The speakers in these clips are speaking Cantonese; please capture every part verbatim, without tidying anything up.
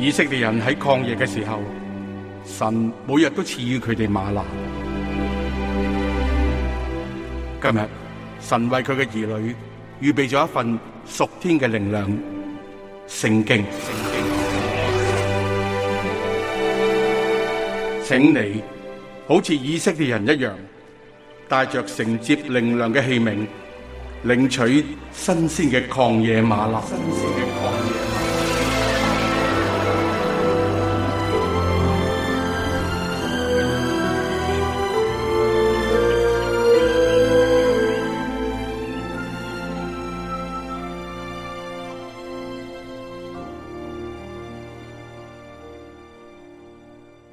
以色列人喺曠野嘅時候，神每日都賜予佢哋嗎哪。今日神為佢嘅兒女預備咗一份屬天嘅靈糧——聖經。請你好似以色列人一樣，帶着承接靈糧嘅器皿，領取新鮮嘅曠野嗎哪。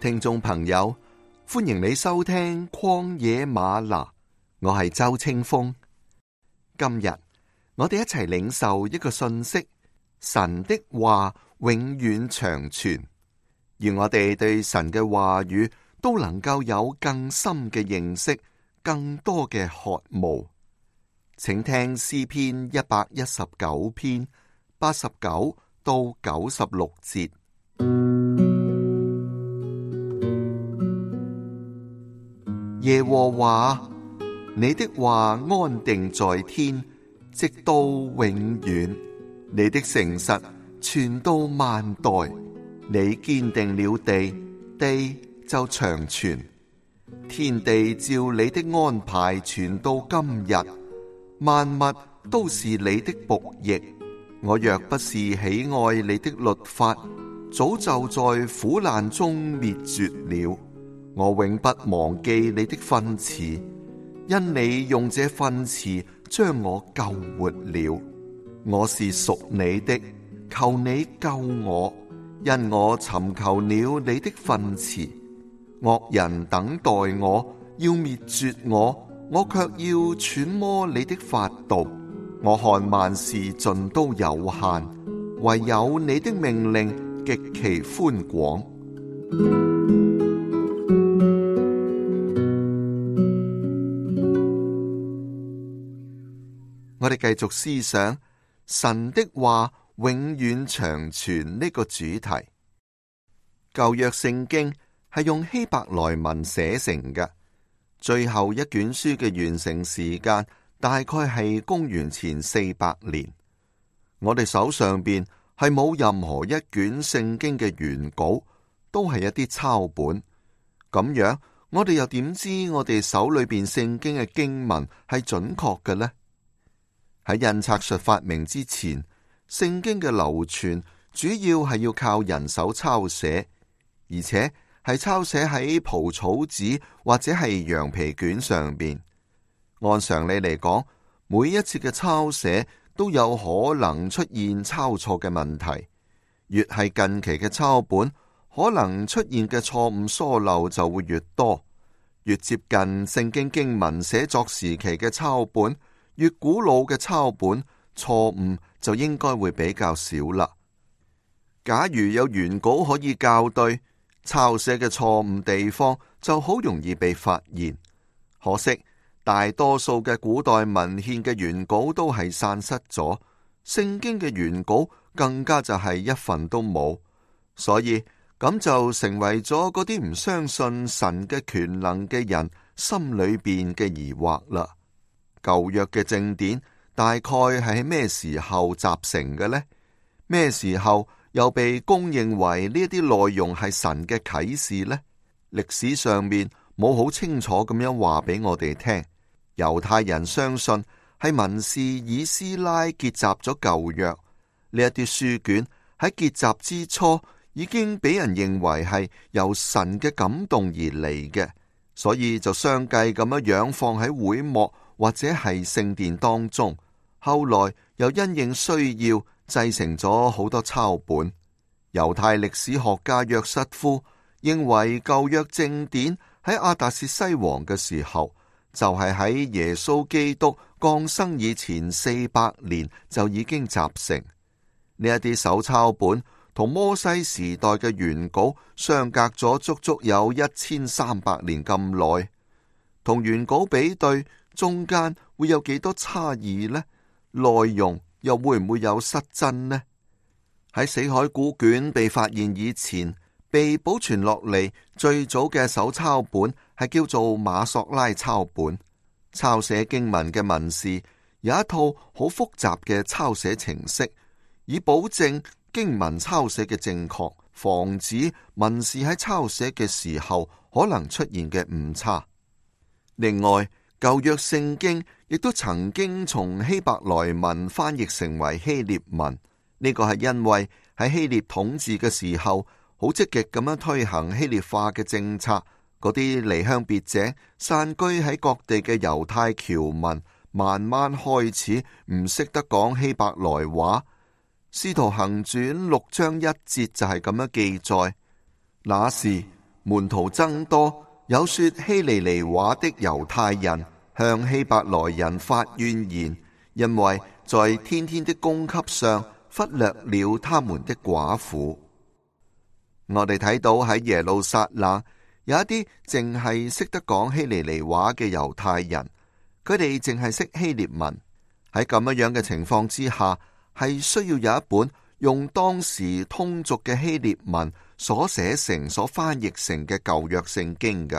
聽眾朋友，歡迎你收聽曠野嗎哪，我係周清風。今日我哋一齊領受一個信息：神的話永遠長存，願我哋對神嘅話語都能夠有更深嘅認識，更多嘅渴慕。請聽詩篇一百一十九篇八十九到九十六節。耶和華，你的話安定在天，直到永遠。你的誠實傳到萬代。你堅定了地，地就長存。天地照你的安排傳到今日，萬物都是你的僕役。我若不是喜愛你的律法，早就在苦難中滅絕了。我永不忘記你的訓詞，因你用這訓詞將我救活了。我是屬你的，求你救我，因我尋求了你的訓詞。惡人等待我，要滅絕我，我卻要揣摩你的法度。我看萬事盡都有限，唯有你的命令極其寬廣。我哋繼續思想神的話永遠長存呢個主題。舊約聖經係用希伯來文寫成嘅，最後一卷書嘅完成時間大概係公元前四百年。我哋手上邊係冇任何一卷聖經嘅原稿，都係一啲抄本。咁樣我哋又點知我哋手裏邊聖經嘅經文係準確嘅呢？喺印刷術發明之前，聖經嘅流傳主要係要靠人手抄寫，而且係抄寫喺蒲草紙或者係羊皮卷上邊。按常理嚟講，每一次嘅抄寫都有可能出現抄錯嘅問題。越係近期嘅抄本，可能出現嘅錯誤疏漏就會越多。越接近聖經經文寫作時期嘅抄本，越古老嘅抄本，錯誤就應該會比較少啦。假如有原稿可以校對，抄寫嘅錯誤地方就好容易被發現。可惜大多數嘅古代文獻嘅原稿都係散失咗，聖經嘅原稿更加就係一份都冇，所以咁就成為咗嗰啲唔相信神嘅權能嘅人心裏邊嘅疑惑啦。舊約嘅正典大概係喺咩時候集成嘅呢？咩時候又被公認為呢一啲內容係神嘅啟示呢？歷史上面冇好清楚咁樣話俾我哋聽。猶太人相信係文士以斯拉結集咗舊約，呢一啲書卷喺結集之初已經俾人認為係由神嘅感動而嚟嘅，所以就相繼咁樣樣放喺會幕或者係聖殿當中，後來又因應需要製成咗好多抄本。猶太歷史學家約瑟夫認為舊約正典喺亞達薛西王嘅時候，就係喺耶穌基督降生以前四百年就已經集成。呢一啲手抄本同摩西時代嘅原稿相隔咗足足有一千三百年咁耐，同原稿比對，中間會有幾多差異呢？內容又會唔會有失真呢？喺死海古卷被發現以前，被保存落嚟最早嘅手抄本係叫做馬索拉抄本。抄寫經文嘅文士有一套好複雜嘅抄寫程式，以保證經文抄寫嘅正確，防止文士喺抄寫嘅時候可能出現嘅誤差。另外，舊約聖經亦都曾經從希伯來文翻譯成為希臘文，呢個係因為喺希臘統治嘅時候，好積極咁樣推行希臘化嘅政策。嗰啲離鄉別井、散居喺各地嘅猶太僑民，慢慢開始唔識得講希伯來話。使徒行傳六章一節就係咁樣記載：那時門徒增多，有說希利尼話的猶太人向希伯來人發怨言，因為在天天的供給上忽略了他們的寡婦。我哋睇到喺耶路撒冷有一啲淨係識得講希利尼話嘅猶太人，佢哋淨係識希臘文。喺咁樣樣嘅情況之下，係需要有一本用當時通俗嘅希臘文所寫成、所翻譯成嘅舊約聖經嘅。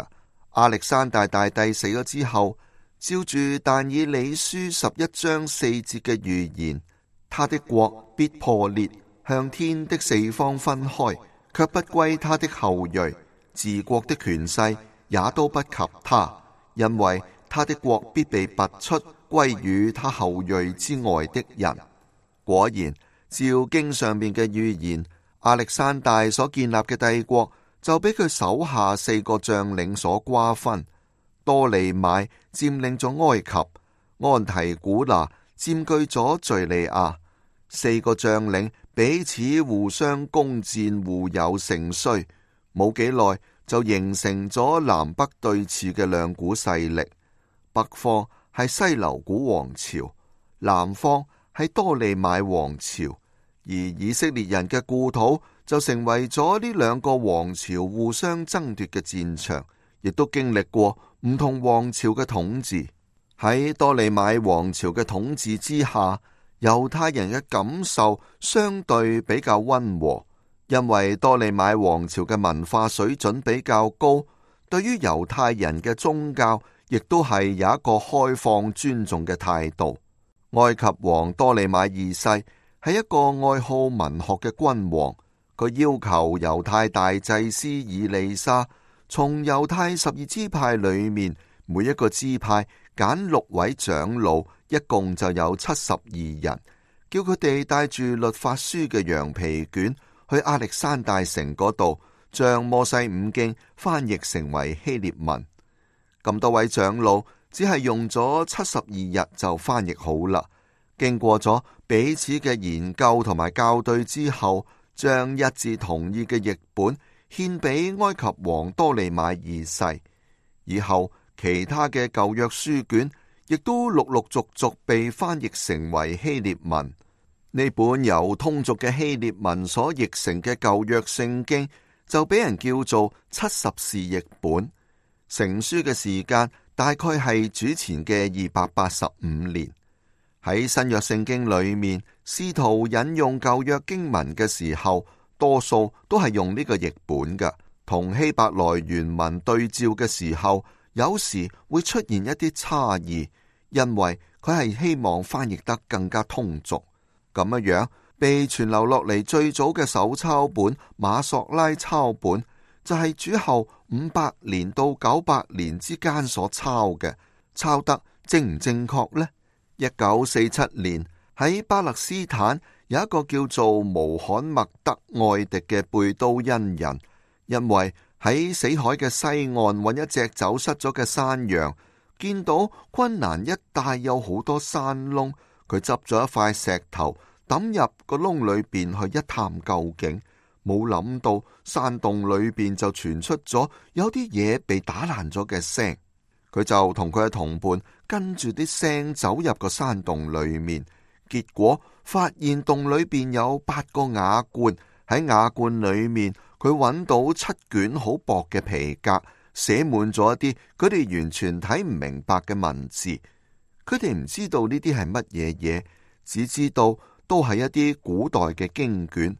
亞歷山大大帝死咗之後，照住但以理書十一章四節嘅預言，他的國必破裂，向天的四方分開，卻不歸他的後裔。治國的權勢也都不及他，因為他的國必被拔出，歸於他後裔之外的人。果然，照經上面嘅預言，亞歷山大所建立嘅帝國就俾佢手下四個將領所瓜分。多利買佔領咗埃及，安提古拿佔據咗敘利亞。四個將領彼此互相攻戰，互有盛衰。冇幾耐就形成咗南北對峙嘅兩股勢力，北方係西流古王朝，南方係多利買王朝，而以色列人嘅故土就成為咗呢兩個王朝互相爭奪嘅戰場，亦都經歷過唔同王朝嘅統治。喺多利買王朝嘅統治之下，猶太人嘅感受相對比較溫和。因為多利買王朝嘅文化水準比較高，對於猶太人嘅宗教亦都係有一個開放尊重嘅態度。埃及王多利買二世係一個愛好文學嘅君王，佢要求猶太大祭司以利沙從猶太十二支派裏面每一個支派揀六位長老，一共就有七十二人，叫佢哋帶住律法書嘅羊皮卷去亞歷山大城嗰度，將摩西五經翻譯成為希臘文。咁多位長老只係用咗七十二日就翻譯好啦。經過咗彼此嘅研究同埋校對之後，將一致同意嘅譯本獻俾埃及王多利買二世。以後其他嘅舊約書卷亦都陸陸續續被翻譯成為希臘文。呢本由通俗嘅希臘文所譯成嘅舊約聖經就俾人叫做七十士譯本。成書嘅時間大概係主前嘅二百八十五年。喺新約聖經裏面，使徒引用舊約經文嘅時候，多數都係用呢個譯本嘅。同希伯來原文對照嘅時候，有時會出現一啲差異，因為佢係希望翻譯得更加通俗。咁樣樣被傳流落嚟最早嘅手抄本馬索拉抄本，就係主後五百年到九百年之間所抄嘅。抄得正唔正確呢？一九四七年喺巴勒斯坦有一個叫做穆罕默德愛迪嘅貝都因人，因為喺死海嘅西岸揾一隻走失咗嘅山羊，見到昆蘭一帶有好多山窿，佢執咗一塊石頭抌入個窿裏邊去一探究竟，冇諗到山洞裏邊就傳出咗有啲嘢被打爛咗嘅聲。佢就同佢嘅同伴跟住啲聲走入個山洞裏面，結果發現洞裏邊有八個瓦罐，喺瓦罐裏面佢揾到七卷好薄嘅皮革，寫滿咗一啲佢哋完全睇唔明白嘅文字。佢哋唔知道呢啲係乜嘢嘢，只知道都係一啲古代嘅經卷。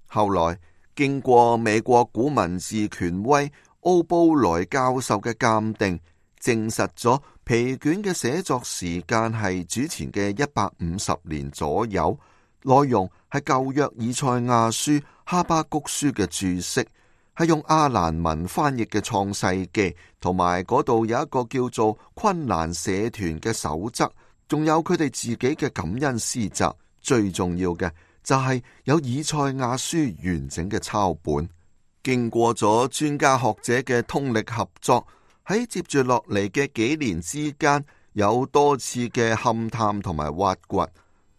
後來經過美國古文字權威奧布萊教授嘅鑑定，證實咗皮卷嘅寫作時間係主前嘅一百五十年左右，內容係舊約以賽亞書、哈巴谷書嘅注釋，係用阿蘭文翻譯嘅創世記，同埋嗰度有一個叫做昆蘭社團嘅守則，仲有佢哋自己嘅感恩詩集。最重要嘅就係有以賽亞書完整嘅抄本。經過咗專家學者嘅通力合作，喺接住落嚟嘅幾年之間，有多次嘅勘探同埋挖掘，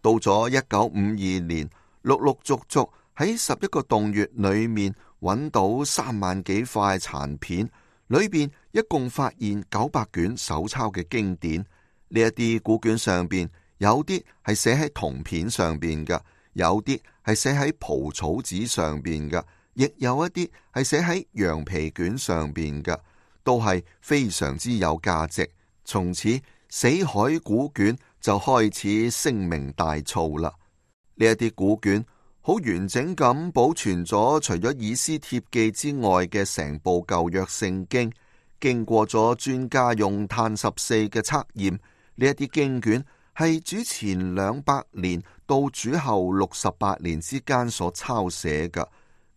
到咗一九五二年，陸陸續續喺十一個洞穴裏面揾到三萬幾塊殘片，裏邊一共發現九百卷手抄嘅經典。呢一啲古卷上邊有啲係寫喺銅片上邊嘅，有啲係寫喺蒲草紙上邊嘅，亦有一啲係寫喺羊皮卷上邊嘅，都係非常之有價值。從此死海古卷就開始聲名大噪啦。呢一啲古卷好完整咁保存咗，除咗以斯帖記之外嘅成部舊約聖經，經過咗專家用碳十四嘅測驗，呢一啲經卷係主前兩百年到主後六十八年之間所抄寫嘅。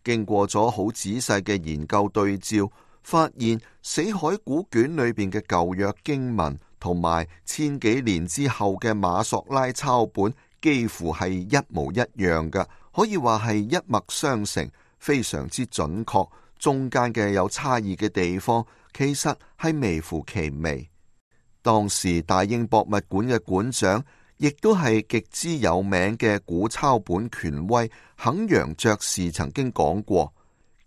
經過咗好仔細嘅研究對照，發現死海古卷裏邊嘅舊約經文同埋千幾年之後嘅馬索拉抄本幾乎係一模一樣嘅，可以話係一脈相承，非常之準確。中間嘅有差異嘅地方，其實係微乎其微。當時大英博物館嘅館長，亦都係極之有名嘅古抄本權威肯揚爵士曾經講過，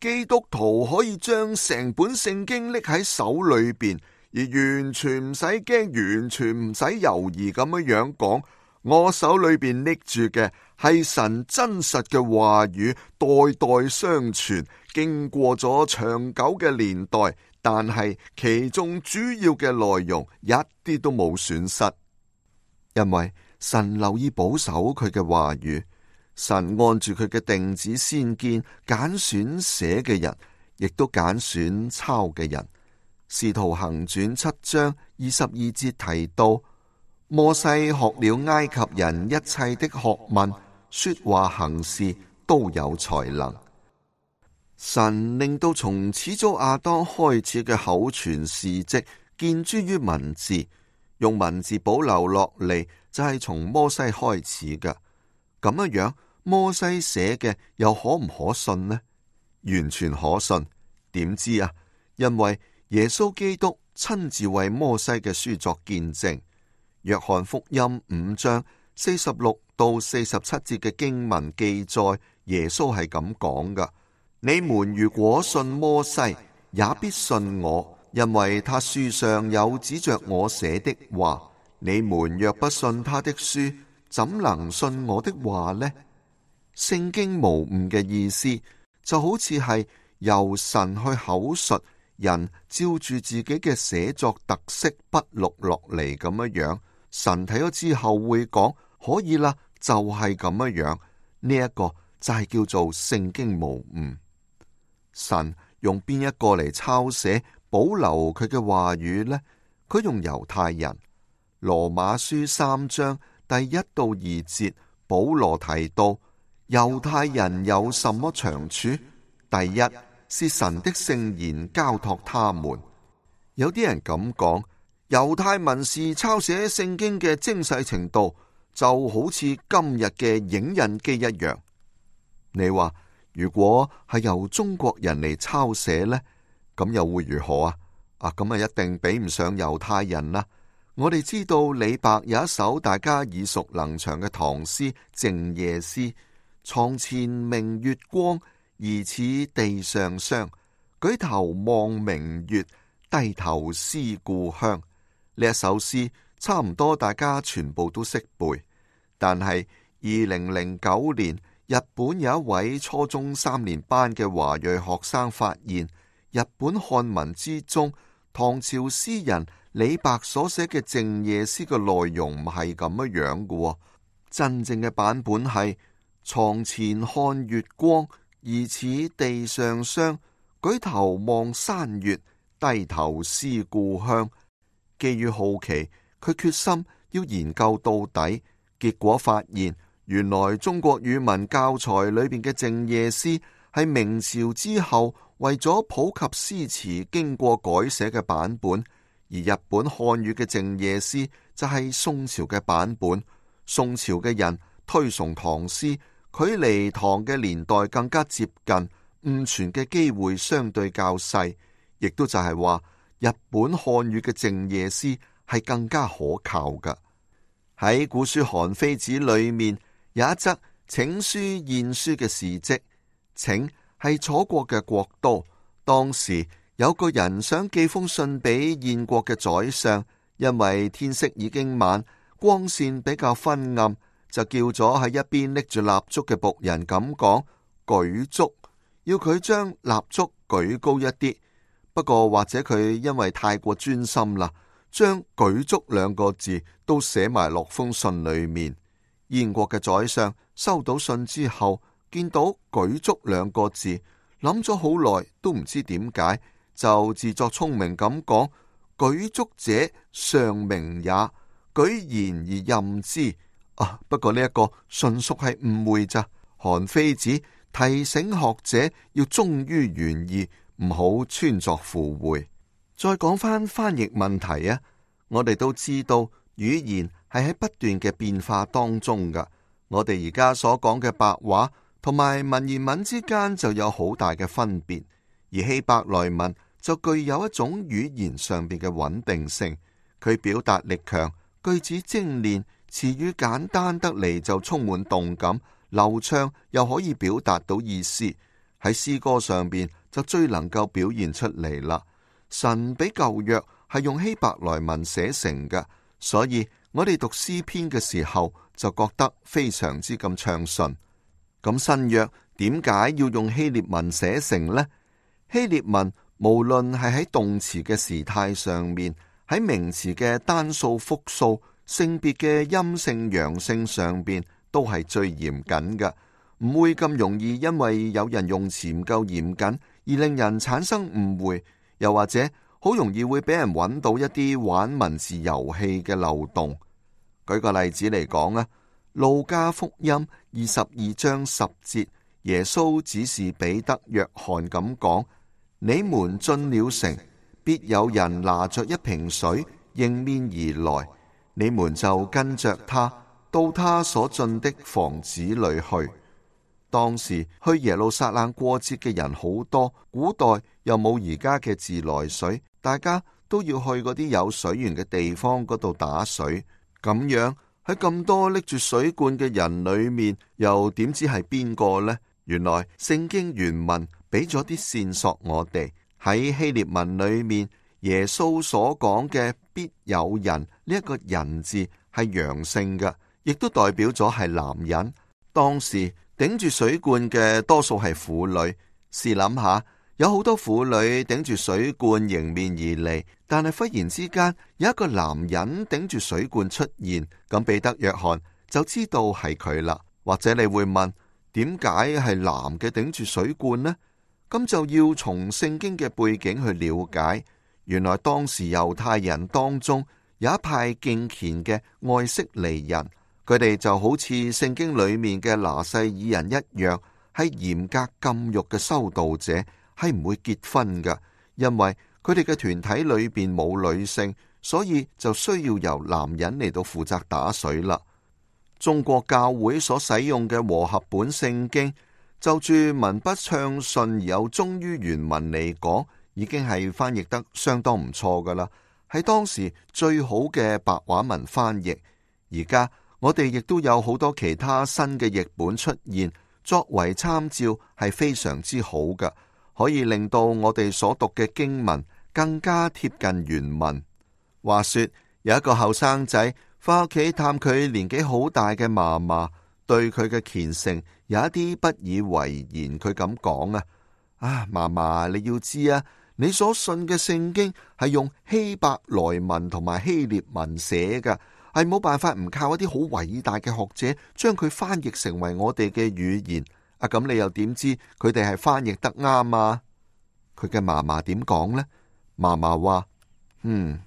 基督徒可以將成本聖經拎喺手裏邊，而完全唔使驚，完全唔使猶豫咁樣樣講，我手裏邊拎住嘅係神真實嘅話語，代代相傳，經過咗長久嘅年代，但係其中主要嘅內容一啲都冇損失，因為神留意保守佢嘅話語，神按住佢嘅定旨先見揀選寫嘅人，亦都揀選抄嘅人。使徒行傳七章二十二節提到，摩西學了埃及人一切的學問，說話行事都有才能。神令到從始祖亞當開始嘅口傳事跡見諸於文字，用文字保留落嚟，就係從摩西開始嘅。咁樣樣，摩西寫嘅又可唔可信呢？完全可信。點知啊？因為耶穌基督親自為摩西嘅書作見證。約翰福音五章四十六到四十七節嘅經文記載，耶穌係咁講噶：你們如果信摩西，也必信我，因為他書上有指着我寫的話。你們若不信他的書，怎能信我的話呢？聖經無誤嘅意思，就好似係由神去口述，人照住自己嘅寫作特色筆錄落嚟咁樣樣。神睇咗之後會講，可以啦，就係咁樣樣。呢一個就係叫做聖經無誤。神用邊一個嚟抄寫保留佢嘅話語呢？佢用猶太人。羅馬書三章第一到二節，保羅提到猶太人有什麼長處？第一是神的聖言交託他們。有啲人咁講，猶太文士抄寫聖經嘅精細程度就好似今日嘅影印機一樣。你話如果係由中國人嚟抄寫呢，咁又會如何啊？啊，咁啊一定比唔上猶太人啦。我哋知道李白有一首大家耳熟能詳嘅唐詩《靜夜思》，床前明月光，疑似地上霜。舉頭望明月，低頭思故鄉。呢一首詩差唔多大家全部都識背，但係二零零九年，日本有一位初中三年班嘅華裔學生發現，日本漢文之中，唐朝詩人李白所寫嘅《靜夜思》嘅內容唔係咁樣樣嘅。真正嘅版本係：床前看月光，疑似地上霜。舉頭望山月，低頭思故鄉。基於好奇，佢決心要研究到底，結果發現原來中國語文教材裏邊嘅靜夜思係明朝之後為咗普及詩詞經過改寫嘅版本，而日本漢語嘅靜夜思就係宋朝嘅版本。宋朝嘅人推崇唐詩，距離唐嘅年代更加接近，誤傳嘅機會相對較細，亦都就係話日本漢語嘅靜夜思係更加可靠㗎。喺古書《韓非子》裏面有一則請書晏書嘅事跡。請係楚國嘅國都，當時有個人想寄封信俾燕國嘅宰相，因為天色已經晚，光線比較昏暗，就叫咗喺一邊拎住蠟燭嘅僕人咁講：舉燭，要佢將蠟燭舉高一啲。不過或者佢因為太過專心啦，將舉燭兩個字都寫埋落封信裏面。燕國嘅宰相收到信之後，見到舉燭兩個字，諗咗好耐都唔知點解，就自作聰明咁講：舉燭者尚明也，舉言而任之。啊，不過呢一個純屬係誤會咋。韓非子提醒學者要忠於原意，唔好穿鑿附會。再講翻翻譯問題啊，我哋都知道語言係喺不斷嘅變化當中噶。我哋而家所講嘅白話同埋文言文之間就有好大嘅分別，而希伯來文就具有一種語言上邊嘅穩定性，佢表達力強，句子精煉，詞語簡單得嚟就充滿動感，流暢又可以表達到意思，喺詩歌上邊就最能夠表現出嚟啦。神俾舊約係用希伯來文寫成嘅，所以我哋讀詩篇嘅時候就覺得非常之咁暢順。咁新約點解要用希臘文寫成呢？希臘文無論係喺動詞嘅時態上面，喺名詞嘅單數複數、性別嘅陰性陽性上邊，都係最嚴謹嘅，唔會咁容易因為有人用詞唔夠嚴謹而令人產生誤會，又或者好容易會俾人揾到一啲玩文字遊戲嘅漏洞。舉個例子嚟講啊，路加福音二十二章十節，耶穌指示彼得、約翰咁講：你們進了城，必有人拿着一瓶水迎面而來，你們就跟着他到他所進的房子裏去。當時去耶路撒冷過節嘅人好多，古代又冇而家嘅自來水，大家都要去嗰啲有水源嘅地方嗰度打水。咁樣喺咁多拎住水罐嘅人裏面，又點知係邊個呢？原來聖經原文俾咗啲線索我哋。喺希臘文裏面，耶穌所講嘅必有人呢一個人字係陽性嘅，亦都代表咗係男人。當時頂住水罐嘅多數係婦女。試諗下，有好多婦女頂住水罐迎面而嚟，但係忽然之間有一個男人頂住水罐出現，咁彼得、約翰就知道係佢啦。或者你會問，點解係男嘅頂住水罐呢？咁就要從聖經嘅背景去了解。原來當時猶太人當中有一派敬虔嘅愛色尼人，佢哋就好似聖經裏面嘅拿細耳人一樣，係嚴格禁欲嘅修道者，係唔會結婚㗎，因為佢哋嘅團體裏邊冇女性，所以就需要由男人嚟到負責打水啦。中國教會所使用嘅和合本聖經，就住文筆暢順而有忠於原文嚟講，已經係翻譯得相當唔錯噶啦，係當時最好嘅白話文翻譯。而家我哋亦都有好多其他新嘅譯本出現，作為參照係非常之好噶，可以令到我哋所讀嘅經文更加貼近原文。話說有一個後生仔翻屋企探佢年紀好大嘅嫲嫲，對佢嘅虔誠有一啲不以為然。佢咁講啊，啊嫲嫲，你要知啊，你所信嘅聖經係用希伯來文同埋希臘文寫噶，係冇辦法唔靠一啲好偉大嘅學者將佢翻譯成為我哋嘅語言。啊，咁你又點知佢哋係翻譯得啱啊？佢嘅嫲嫲點講呢？嫲嫲話：嗯，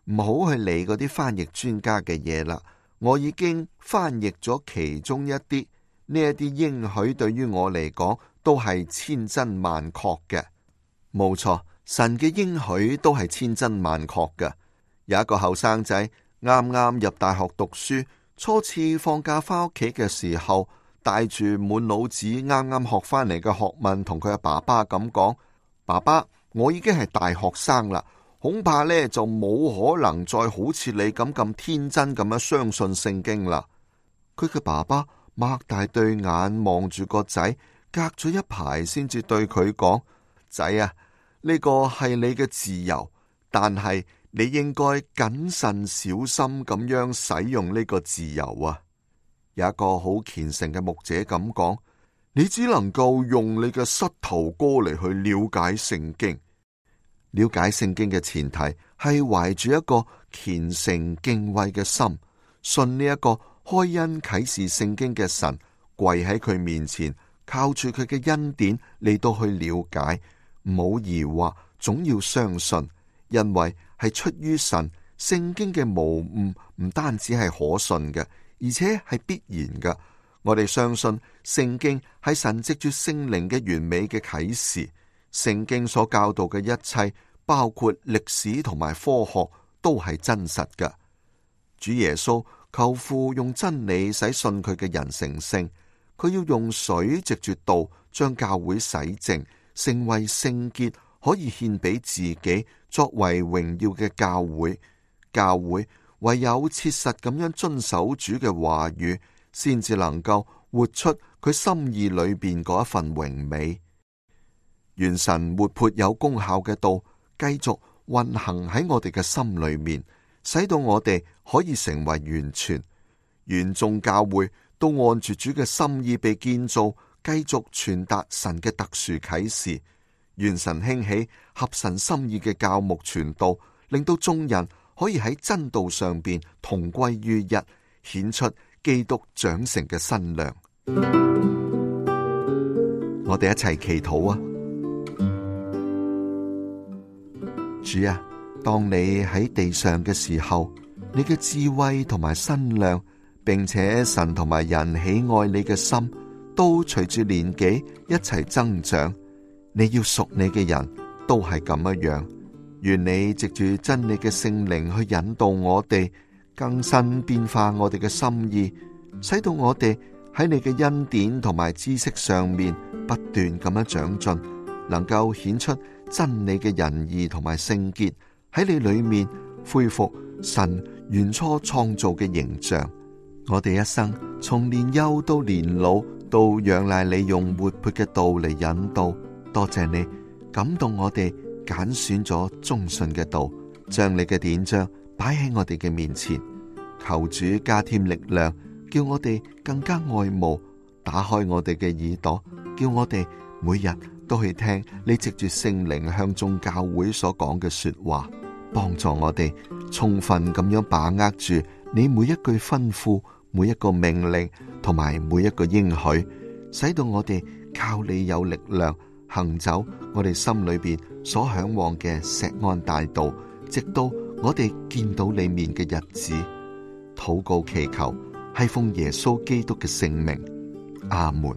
唔好去理嗰啲翻譯專家嘅嘢啦。我已經翻譯咗其中一啲，呢一啲應許對於我嚟講都係千真萬確嘅。冇錯，神嘅應許都係千真萬確嘅。有一個後生仔啱啱入大學讀書，初次放假翻屋企嘅時候，帶住滿腦子啱啱學翻嚟嘅學問，同佢阿爸爸咁講：爸爸，我已經係大學生啦，恐怕呢就冇可能再好似你咁咁天真咁樣相信聖經啦。佢嘅爸爸擘大對眼望住個仔，隔咗一排先至對佢講：仔啊，呢個係你嘅自由，但係你應該謹慎小心咁樣使用呢個自由啊。有一個好虔誠嘅牧者咁講：你只能夠用你嘅膝頭哥嚟去了解聖經。了解聖經嘅前提係懷住一個虔誠敬畏嘅心，信呢一個開恩啟示聖經嘅神，跪喺佢面前，靠住佢嘅恩典嚟到去了解，唔好疑惑，總要相信，因為係出於神。聖經嘅無誤唔單止係可信嘅，而且係必然嘅。我哋相信聖經係神藉住聖靈嘅完美嘅啟示。聖經所教導嘅一切，包括歷史同埋科學，都係真實嘅。主耶穌求父用真理使信佢嘅人成聖，佢要用水藉住道將教會洗淨，成為聖潔，可以獻俾自己作為榮耀嘅教會。教會唯有切實咁樣遵守主嘅話語，先至能夠活出佢心意裏邊嗰一份榮美。願神活潑有功效嘅道繼續運行喺我哋嘅心裏面，使到我哋可以成為完全。願眾教會都按住主嘅心意被建造，繼續傳達神嘅特殊啟示。願神興起合神心意嘅教牧傳道，令到眾人可以喺真道上邊同歸於一，顯出基督長成嘅身量。我哋一齊祈禱啊！主啊，當你喺地上嘅時候，你嘅智慧同埋身量，並且神同埋人喜愛你嘅心，都隨住年紀一齊增長。你要屬你嘅人都係咁樣樣。願你藉住真理嘅聖靈去引導我哋，更新變化我哋嘅心意，使到我哋喺你嘅恩典同埋知識上面不斷咁樣長進，能夠顯出真理嘅仁義同埋聖潔，喺你裏面恢復神原初創造嘅形象。我哋一生從年幼到年老，都仰賴你用活潑嘅道嚟引導。多謝你感動我哋，揀選咗忠信嘅道，將你嘅典章擺喺我哋嘅面前。求主加添力量，叫我哋更加愛慕，打開我哋嘅耳朵，叫我哋每日都去聽你藉住聖靈向眾教會所講嘅說話，幫助我哋充分咁樣把握住你每一句吩咐、每一個命令同埋每一個應許，使到我哋靠你有力量行走我哋心裏邊所向往嘅錫安大道，直到我哋見到你面嘅日子。禱告祈求係奉耶穌基督嘅聖名，阿門。